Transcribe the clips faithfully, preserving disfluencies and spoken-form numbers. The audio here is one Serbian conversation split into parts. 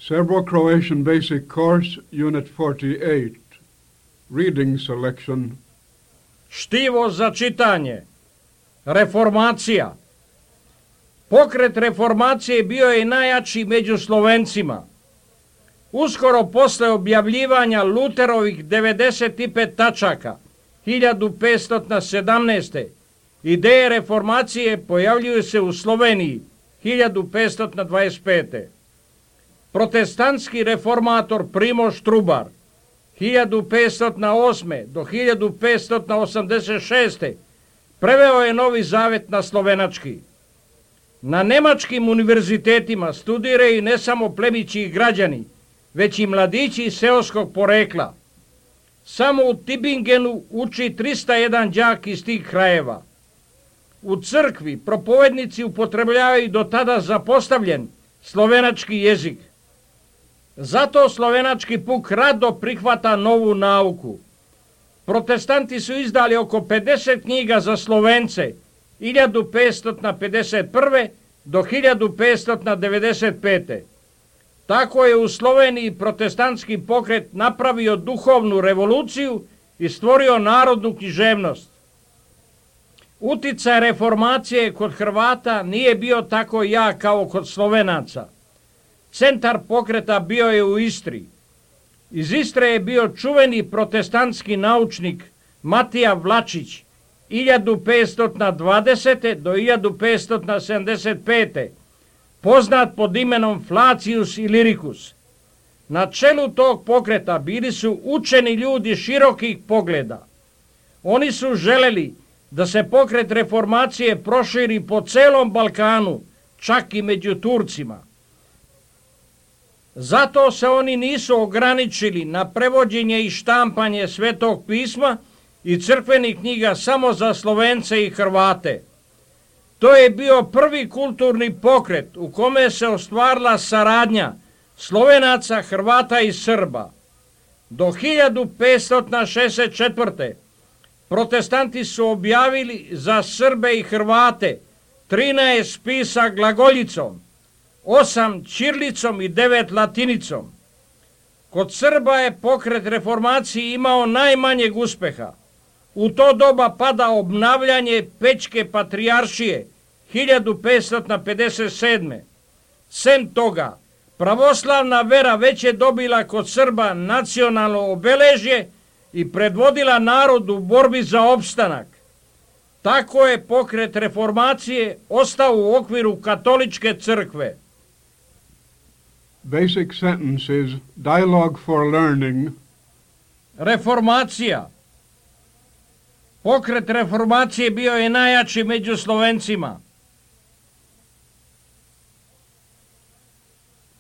Serbo-Croatian Basic Course, Unit forty-eight. Reading selection. Štivo za čitanje. Reformacija. Pokret reformacije bio je najjači među Slovencima. Uskoro posle objavljivanja Luterovih devedeset pet tačaka hiljadu petsto sedamnaeste. Ideje reformacije pojavljuju se u Sloveniji hiljadu petsto dvadeset pete. Protestantski reformator Primož Trubar hiljadu petsto osme. do hiljadu petsto osamdeset šeste. preveo je Novi Zavet na slovenački. Na nemačkim univerzitetima studiraju ne samo plemići i građani, već i mladići seoskog porekla. Samo u Tübingenu uči trista jedan đak iz tih krajeva. U crkvi propovednici upotrebljavaju do tada zapostavljen slovenački jezik. Zato slovenački puk rado prihvata novu nauku. Protestanti su izdali oko pedeset knjiga za Slovence hiljadu petsto pedeset prve. do hiljadu petsto devedeset pete. Tako je u Sloveniji protestantski pokret napravio duhovnu revoluciju i stvorio narodnu književnost. Uticaj reformacije kod Hrvata nije bio tako jak kao kod Slovenaca. Centar pokreta bio je u Istri. Iz Istre je bio čuveni protestantski naučnik Matija Vlačić hiljadu petsto dvadesete. do hiljadu petsto sedamdeset pete. poznat pod imenom Flacius Illyricus. Na čelu tog pokreta bili su učeni ljudi širokih pogleda. Oni su želeli da se pokret reformacije proširi po celom Balkanu, čak i među Turcima. Zato se oni nisu ograničili na prevođenje i štampanje Svetog pisma i crkvenih knjiga samo za Slovence i Hrvate. To je bio prvi kulturni pokret u kome se ostvarila saradnja Slovenaca, Hrvata i Srba. Do hiljadu petsto šezdeset četvrte. protestanti su objavili za Srbe i Hrvate trinaest spisa glagoljicom, osam ćirilicom i devet latinicom. Kod Srba je pokret reformacije imao najmanjeg uspeha. U to doba pada obnavljanje Pećke patrijaršije hiljadu petsto pedeset sedme. Sem toga, pravoslavna vera već je dobila kod Srba nacionalno obeležje i predvodila narod u borbi za opstanak. Tako je pokret reformacije ostao u okviru katoličke crkve. Basic sentences, dialogue for learning. Reformacija. Pokret reformacije bio je najjači među Slovencima.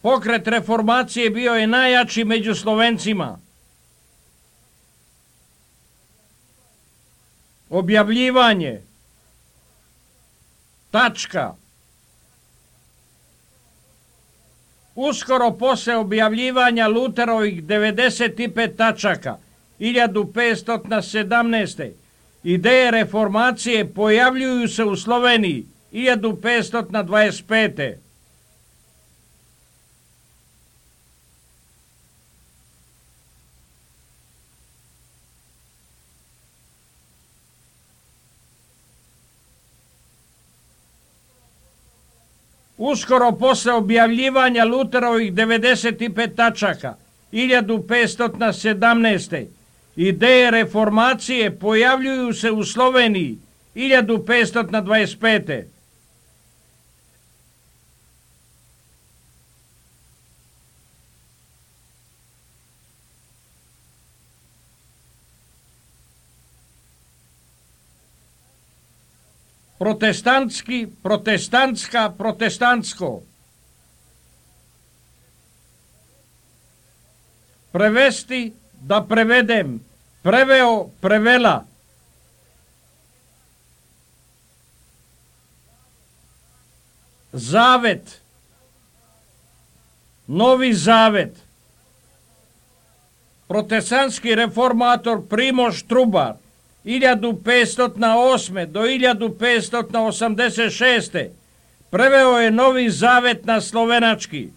Pokret reformacije bio je najjači među Slovencima. Objavljivanje. Tačka. Uskoro posle objavljivanja Luterovih devedeset pet tačaka hiljadu petsto sedamnaeste. ideje reformacije pojavljuju se u Sloveniji hiljadu petsto dvadeset pete. Uskoro posle objavljivanja Luterovih devedeset pet tačaka hiljadu petsto sedamnaeste. ideje reformacije pojavljuju se u Sloveniji hiljadu petsto dvadeset pete. Protestantski, protestantska, protestantsko. Prevesti, da prevedem, preveo, prevela. Zavet, Novi Zavet. Protestantski reformator Primož Trubar hiljadu petsto osme. do hiljadu petsto osamdeset šeste. preveo je Novi Zavet na slovenački.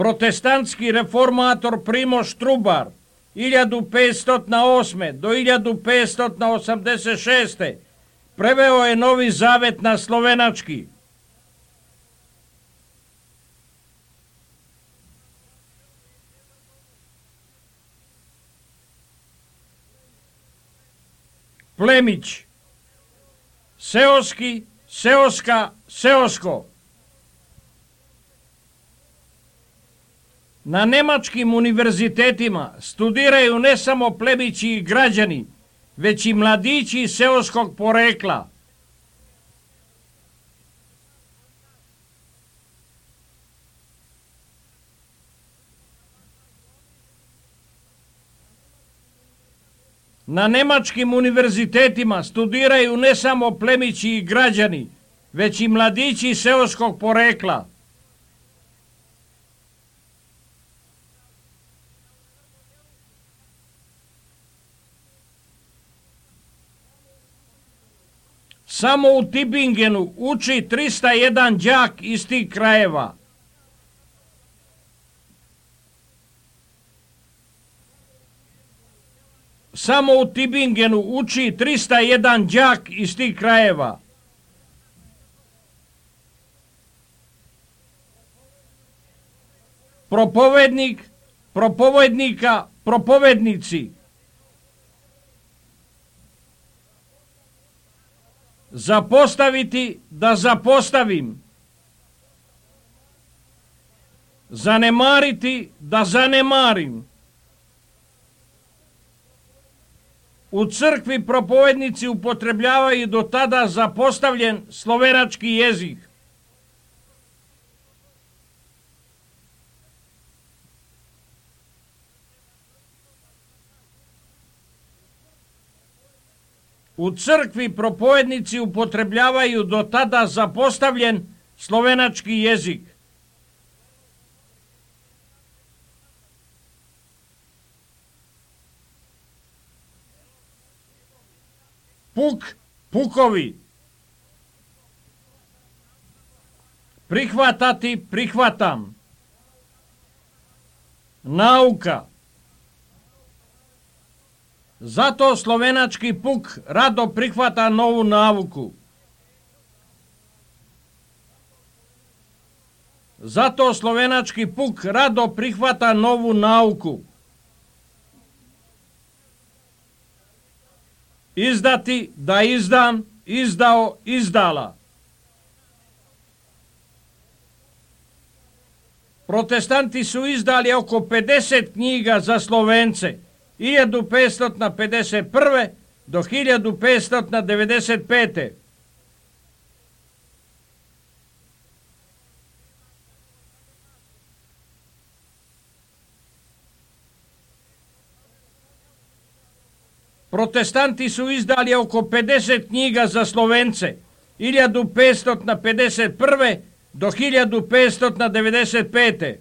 protestantski reformator Primož Trubar hiljadu petsto osme do hiljadu petsto osamdeset šeste preveo je Novi Zavet na slovenački. Plemić, seoski, seoska, seosko. Na nemačkim univerzitetima studiraju ne samo plemići i građani, već i mladići seoskog porekla. Na nemačkim univerzitetima studiraju ne samo plemići i građani, već i mladići seoskog porekla. Samo u Tübingenu uči trista jedan đak iz tih krajeva. Samo u Tübingenu uči trista jedan đak iz tih krajeva. Propovednik, propovednika, propovednici. Zapostaviti, da zapostavim. Zanemariti, da zanemarim. U crkvi propovednici upotrebljavaju do tada zapostavljen slovenački jezik. U crkvi propovednici upotrebljavaju do tada zapostavljen slovenački jezik. Puk, pukovi. Prihvatati, prihvatam. Nauka. Zato slovenački puk rado prihvata novu nauku. Zato slovenački puk rado prihvata novu nauku. Izdati, da izdam, izdao, izdala. Protestanti su izdali oko pedeset knjiga za Slovence, hiljadu petsto pedeset prve do hiljadu petsto devedeset pete. Protestanti su izdali oko pedeset knjiga za Slovence, hiljadu petsto pedeset prve do hiljadu petsto devedeset pete.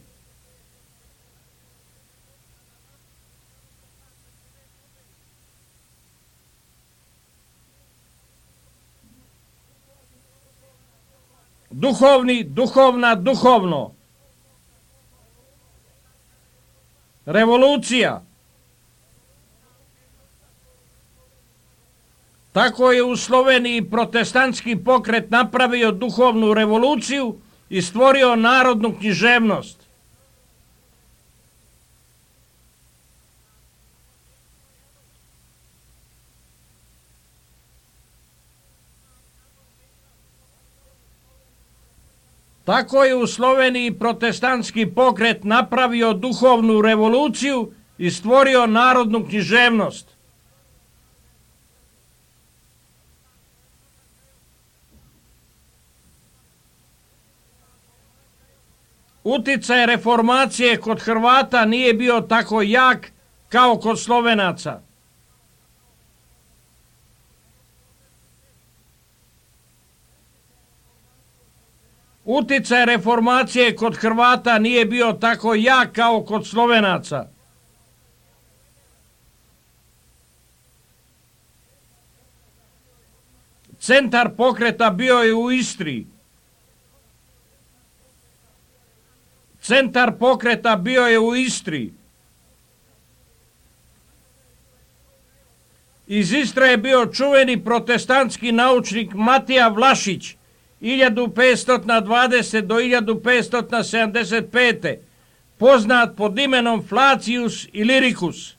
Duhovni, duhovna, duhovno. Revolucija. Tako je u Sloveniji protestantski pokret napravio duhovnu revoluciju i stvorio narodnu književnost. Tako je u Sloveniji protestantski pokret napravio duhovnu revoluciju i stvorio narodnu književnost. Uticaj reformacije kod Hrvata nije bio tako jak kao kod Slovenaca. Uticaj reformacije kod Hrvata nije bio tako jak kao kod Slovenaca. Centar pokreta bio je u Istri. Centar pokreta bio je u Istri. Iz Istre je bio čuveni protestantski naučnik Matija Vlašić, hiljadu petsto dvadeset do hiljadu petsto sedamdeset pete. poznat pod imenom Flacius Illyricus.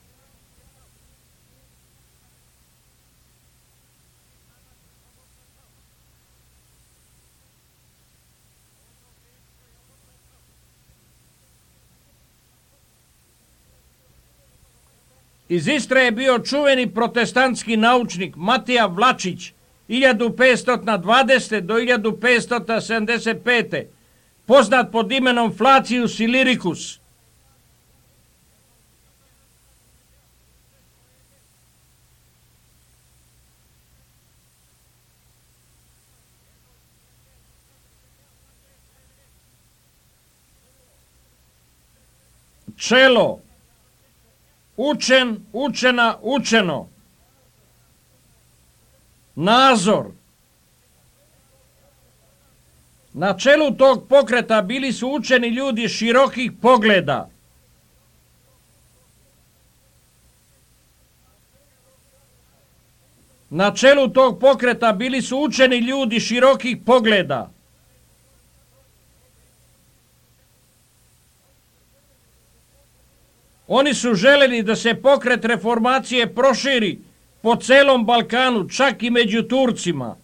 Iz Istre je bio čuveni protestantski naučnik Matija Vlačić, hiljadu petsto dvadeset do hiljadu petsto sedamdeset pete. poznat pod imenom Flacius Illyricus. Čelo, učen, učena, učeno. Nazor. Na čelu tog pokreta bili su učeni ljudi širokih pogleda. Na čelu tog pokreta bili su učeni ljudi širokih pogleda. Oni su želeli da se pokret reformacije proširi po celom Balkanu, čak i među Turcima.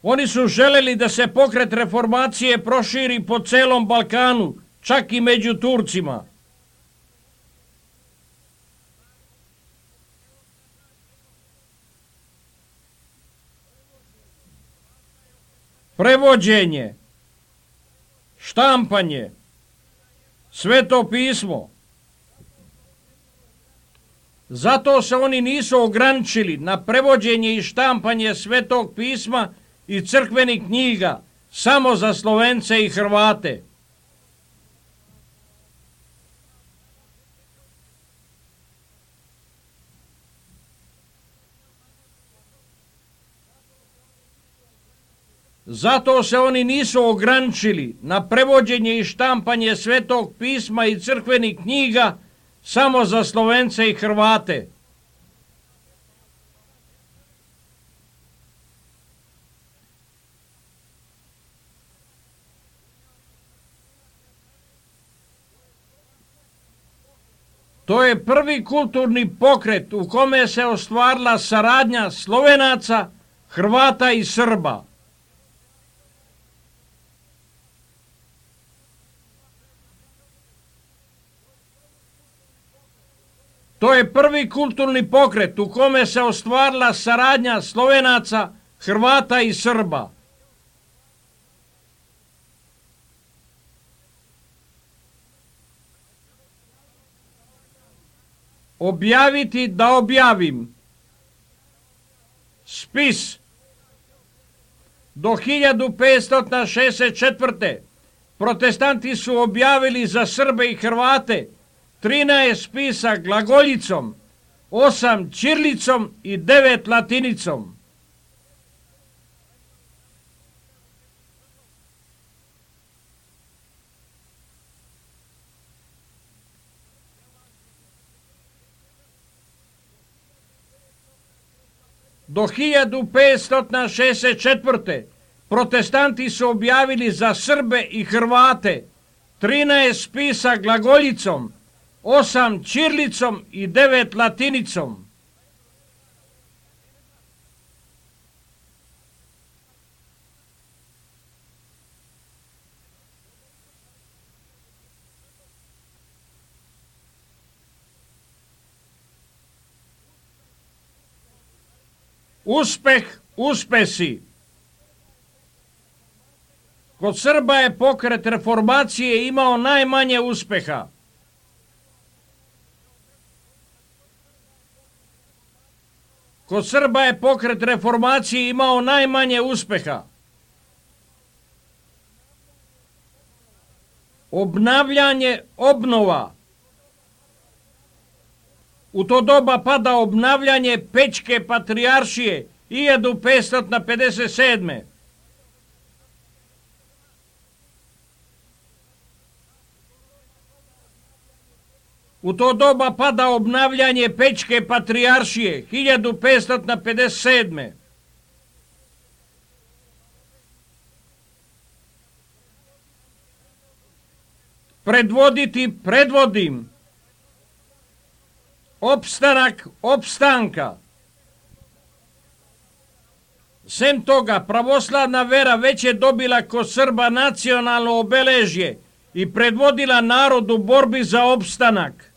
Oni su želeli da se pokret reformacije proširi po celom Balkanu, čak i među Turcima. Prevođenje, štampanje, Sveto pismo. Zato se oni nisu ograničili na prevođenje i štampanje Svetog pisma i crkvenih knjiga samo za Slovence i Hrvate. Zato se oni nisu ograničili na prevođenje i štampanje Svetog pisma i crkvenih knjiga samo za Slovence i Hrvate. To je prvi kulturni pokret u kome se ostvarila saradnja Slovenaca, Hrvata i Srba. To je prvi kulturni pokret u kome se ostvarila saradnja Slovenaca, Hrvata i Srba. Objaviti da objavim. Spis. Do hiljadu petsto šezdeset četvrte. protestanti su objavili za Srbe i Hrvate trinaest spisa glagoljicom, osam ćirlicom i devet latinicom. Do hiljadu petsto šezdeset četvrte. protestanti su objavili za Srbe i Hrvate trinaest spisa glagoljicom, osam ćirlicom i devet latinicom. Uspeh, uspesi. Kod Srba je pokret reformacije imao najmanje uspeha. Kod Srba je pokret reformacije imao najmanje uspeha. Obnavljanje, obnova. U to doba pada obnavljanje Pećke patrijaršije hiljadu petsto pedeset sedme. U to doba pada obnavljanje Pećke patrijaršije hiljadu petsto pedeset sedme. Predvoditi predvodim. Opstanak opstanka. Sem toga, pravoslavna vera već je dobila kod Srba nacionalno obeležje i predvodila narod u borbi za opstanak.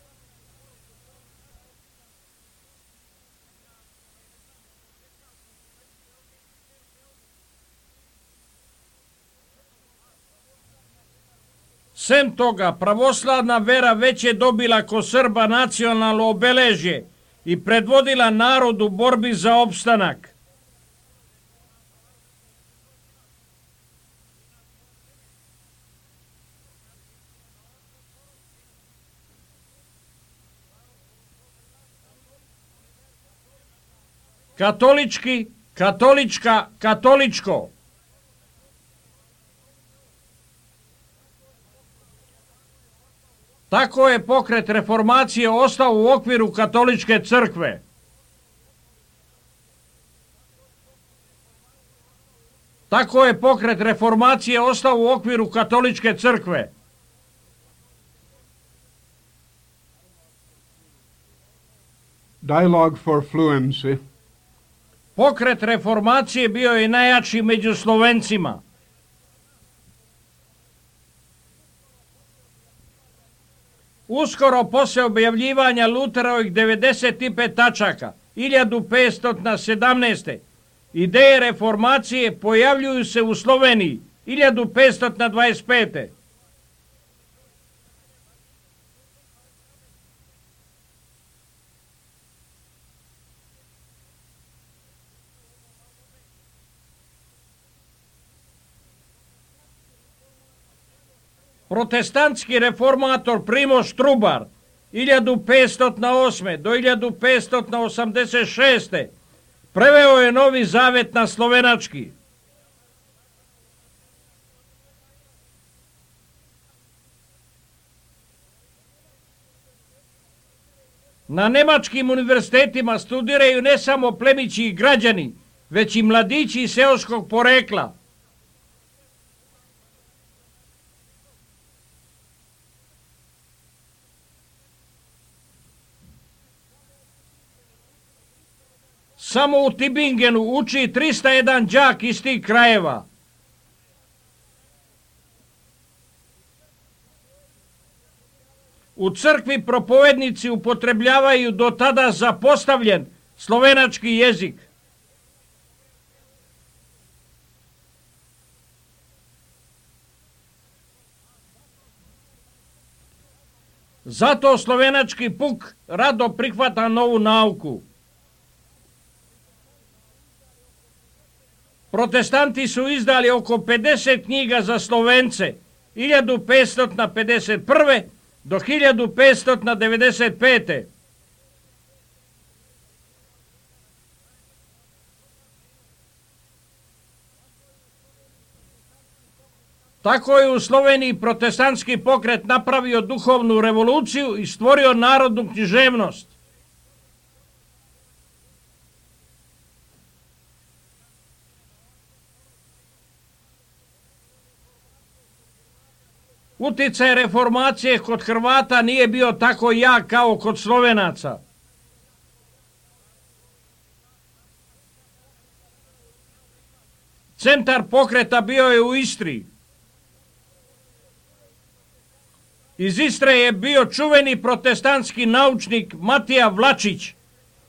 Sem toga, pravoslavna vera već je dobila kod Srba nacionalno obeležje i predvodila narod u borbi za opstanak. Katolički, katolička, katoličko. Tako je pokret reformacije ostao u okviru katoličke crkve. Tako je pokret reformacije ostao u okviru katoličke crkve. Dialogue for fluency. Pokret reformacije bio je najjači među Slovencima. Uskoro posle objavljivanja Luterovih devedeset pet tačaka, hiljadu petsto sedamnaeste. Ideje reformacije pojavljuju se u Sloveniji, hiljadu petsto dvadeset pete. Protestantski reformator Primož Trubar hiljadu petsto osme. do hiljadu petsto osamdeset šeste. preveo je Novi Zavet na slovenački. Na nemačkim univerzitetima studiraju ne samo plemići i građani, već i mladići seoskog porekla. Samo u Tübingenu uči trista jedan đak iz tih krajeva. U crkvi propovednici upotrebljavaju do tada zapostavljen slovenački jezik. Zato slovenački puk rado prihvata novu nauku. Protestanti su izdali oko pedeset knjiga za Slovence, hiljadu petsto pedeset prve. do hiljadu petsto devedeset pete. Tako je u Sloveniji protestantski pokret napravio duhovnu revoluciju i stvorio narodnu književnost. Uticaj reformacije kod Hrvata nije bio tako jak kao kod Slovenaca. Centar pokreta bio je u Istri. Iz Istre je bio čuveni protestantski naučnik Matija Vlačić,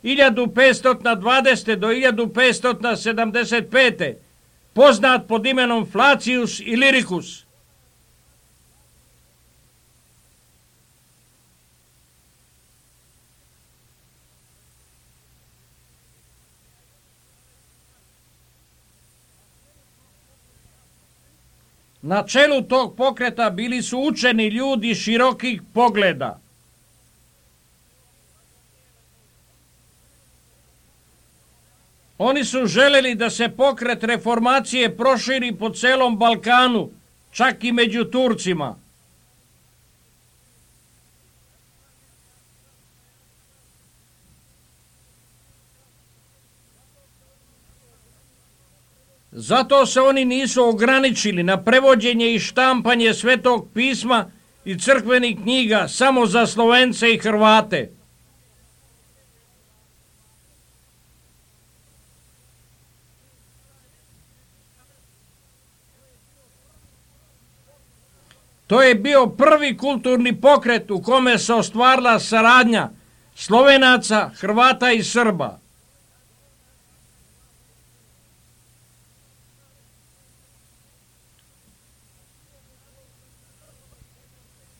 hiljadu petsto dvadesete. do hiljadu petsto sedamdeset pete. poznat pod imenom Flacius Illyricus. Na čelu tog pokreta bili su učeni ljudi širokih pogleda. Oni su želeli da se pokret reformacije proširi po celom Balkanu, čak i među Turcima. Zato se oni nisu ograničili na prevođenje i štampanje Svetog pisma i crkvenih knjiga samo za Slovence i Hrvate. To je bio prvi kulturni pokret u kome se ostvarila saradnja Slovenaca, Hrvata i Srba.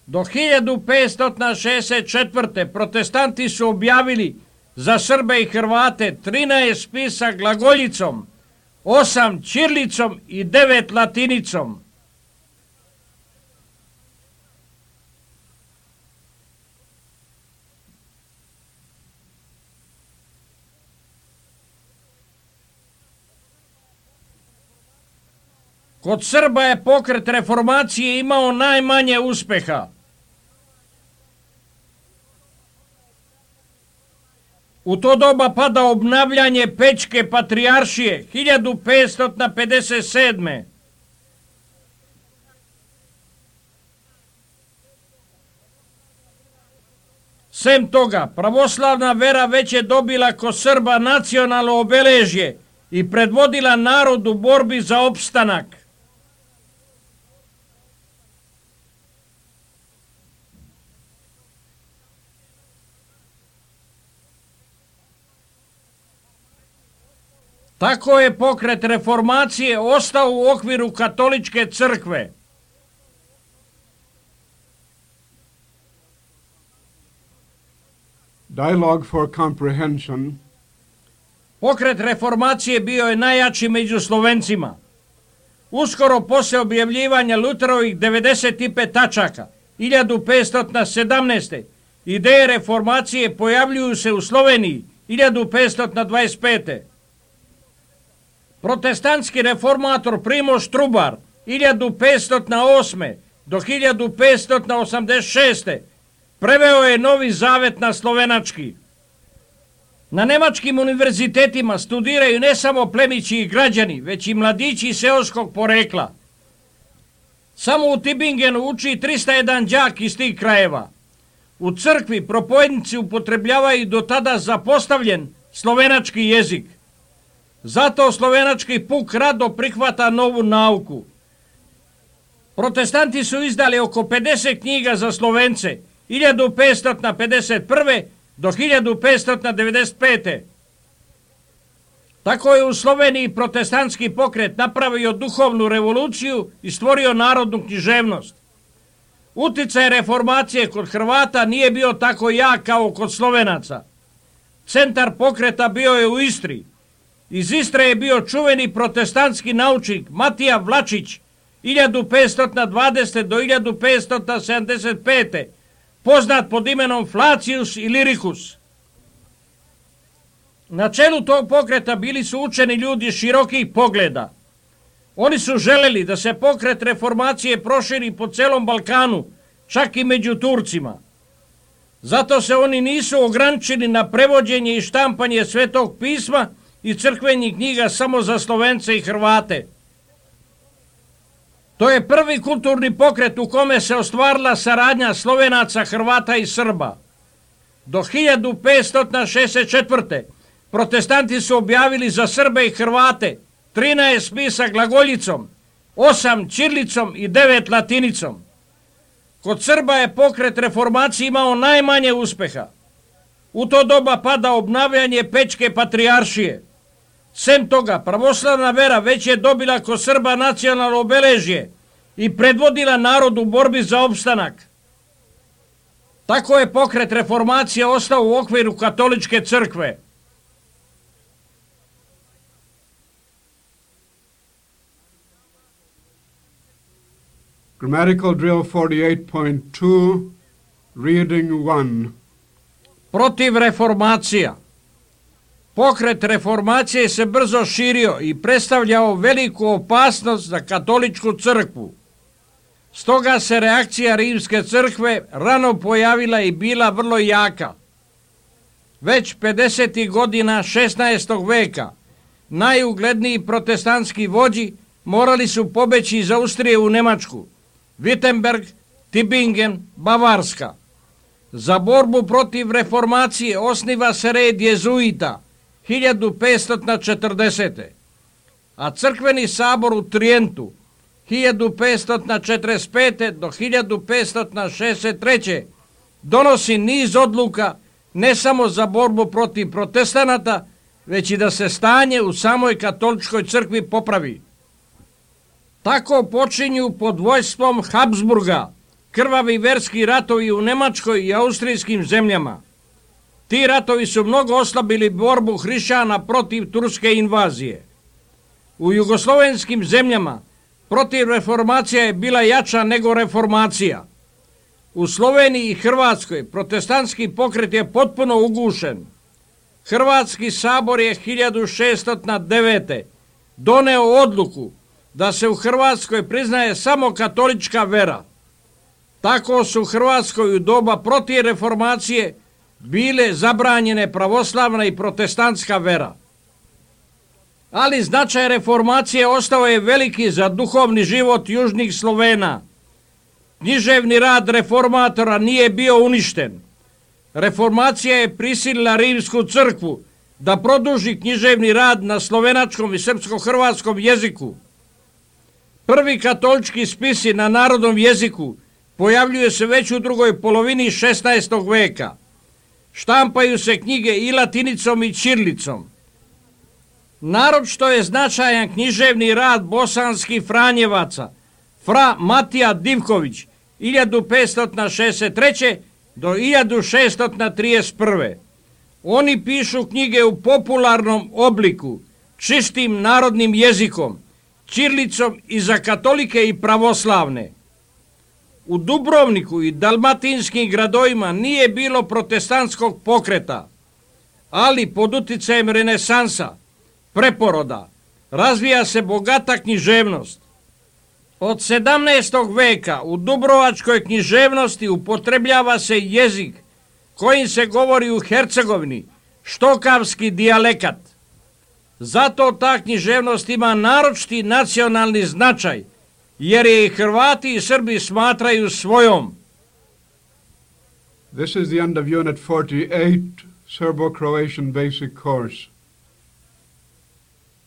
Do hiljadu petsto šezdeset četvrte. protestanti su objavili za Srbe i Hrvate trinaest spisa glagoljicom, osam ćirilicom i devet latinicom. Kod Srba je pokret reformacije imao najmanje uspeha. U to doba pada obnavljanje Pećke patrijaršije hiljadu petsto pedeset sedme. Sem toga, pravoslavna vera već je dobila kod Srba nacionalno obeležje i predvodila narod u borbi za opstanak. Tako je pokret reformacije ostao u okviru katoličke crkve. Dialogue for Comprehension. Pokret reformacije bio je najjači među Slovencima. Uskoro posle objavljivanja Luterovih devedeset pet tačaka, hiljadu petsto sedamnaeste. ideje reformacije pojavljuju se u Sloveniji, hiljadu petsto dvadeset pete. Protestantski reformator Primož Trubar, hiljadu petsto osme. do hiljadu petsto osamdeset šeste. preveo je Novi Zavet na slovenački. Na nemačkim univerzitetima studiraju ne samo plemići i građani, već i mladići seoskog porekla. Samo u Tübingenu uči trista jedan đak iz tih krajeva. U crkvi propovednici upotrebljavaju do tada zapostavljen slovenački jezik. Zato slovenački puk rado prihvata novu nauku. Protestanti su izdali oko pedeset knjiga za Slovence, hiljadu petsto pedeset prve. do hiljadu petsto devedeset pete. Tako je u Sloveniji protestantski pokret napravio duhovnu revoluciju i stvorio narodnu književnost. Uticaj reformacije kod Hrvata nije bio tako jak kao kod Slovenaca. Centar pokreta bio je u Istri. Iz Istre je bio čuveni protestantski naučnik Matija Vlačić, hiljadu petsto dvadesete. do hiljadu petsto sedamdeset pete. poznat pod imenom Flacius Illyricus. Na čelu tog pokreta bili su učeni ljudi širokih pogleda. Oni su želeli da se pokret reformacije proširi po celom Balkanu, čak i među Turcima. Zato se oni nisu ograničili na prevođenje i štampanje Svetog pisma i crkvenih knjiga samo za Slovence i Hrvate. To je prvi kulturni pokret u kome se ostvarila saradnja Slovenaca, Hrvata i Srba. Do hiljadu petsto šezdeset četvrte. protestanti su objavili za Srbe i Hrvate trinaest spisa glagoljicom, osam ćirilicom i devet latinicom. Kod Srba je pokret reformacije imao najmanje uspeha. U to doba pada obnavljanje Pećke patrijaršije. Sem toga, pravoslavna vera već je dobila kod Srba nacionalno obeležje i predvodila narod u borbi za opstanak. Tako je pokret reformacije ostao u okviru katoličke crkve. Grammatical drill forty-eight point two, reading one. Protiv reformacija. Pokret reformacije se brzo širio i predstavljao veliku opasnost za katoličku crkvu. Stoga se reakcija rimske crkve rano pojavila i bila vrlo jaka. Već pedesetih godina šesnaestog veka najugledniji protestantski vođi morali su pobeći iz Austrije u Nemačku, Wittenberg, Tübingen, Bavarska. Za borbu protiv reformacije osniva se red jezuita hiljadu petsto četrdesete. a crkveni sabor u Trijentu hiljadu petsto četrdeset pete do hiljadu petsto šezdeset treće donosi niz odluka ne samo za borbu protiv protestanata, već i da se stanje u samoj katoličkoj crkvi popravi. Tako počinju pod vojstvom Habsburga krvavi verski ratovi u Nemačkoj i austrijskim zemljama. Ti ratovi su mnogo oslabili borbu hrišćana protiv turske invazije. U jugoslovenskim zemljama protiv reformacija je bila jača nego reformacija. U Sloveniji i Hrvatskoj protestantski pokret je potpuno ugušen. Hrvatski sabor je hiljadu šeststo devete. doneo odluku da se u Hrvatskoj priznaje samo katolička vera. Tako su u Hrvatskoj u doba protiv reformacije bile zabranjene pravoslavna i protestantska vera. Ali značaj reformacije ostao je veliki za duhovni život južnih Slovena. Književni rad reformatora nije bio uništen. Reformacija je prisilila rimsku crkvu da produži književni rad na slovenačkom i srpsko-hrvatskom jeziku. Prvi katolički spisi na narodnom jeziku pojavljuju se već u drugoj polovini šesnaestog veka. Štampaju se knjige i latinicom i ćirilicom. Naročito je značajan književni rad bosanskih Franjevaca, fra Matija Divković, hiljadu petsto šezdeset treće do hiljadu šeststo trideset prve. Oni pišu knjige u popularnom obliku, čistim narodnim jezikom, ćirilicom i za katolike i pravoslavne. U Dubrovniku i dalmatinskim gradovima nije bilo protestantskog pokreta, ali pod uticajem renesansa, preporoda, razvija se bogata književnost. Od sedamnaestog veka u dubrovačkoj književnosti upotrebljava se jezik kojim se govori u Hercegovini, štokavski dijalekat. Zato ta književnost ima naročiti nacionalni značaj, jer je i Hrvati i Srbi smatraju svojom. This is the end of Unit forty-eight, Serbo-Croatian Basic Course.